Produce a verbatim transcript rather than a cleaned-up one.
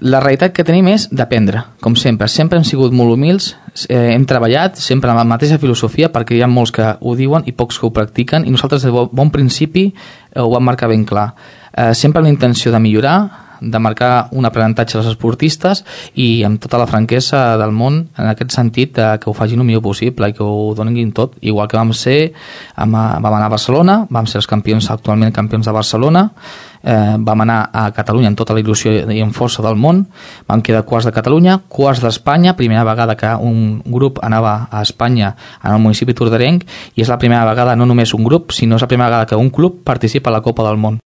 La realitat que tenim és d'aprendre, com sempre. Sempre hem sigut molt humils, eh, hem treballat sempre amb la mateixa filosofia, perquè hi ha molts que ho diuen i pocs que ho practiquen, i nosaltres de bon principi eh, ho vam marcar ben clar. Eh, sempre amb la intenció de millorar, de marcar un aprenentatge als esportistes i amb tota la franquesa del món en aquest sentit de que ho facin el millor possible i que ho donin tot, igual que vam ser vam, vam anar a Barcelona, vam ser els campions, actualment campions de Barcelona, eh, vam anar a Catalunya amb tota la il·lusió i amb força del món, vam quedar quarts de Catalunya, quarts d'Espanya, primera vegada que un grup anava a Espanya en el municipi torderenc, i és la primera vegada no només un grup, sinó és la primera vegada que un club participa a la Copa del Món.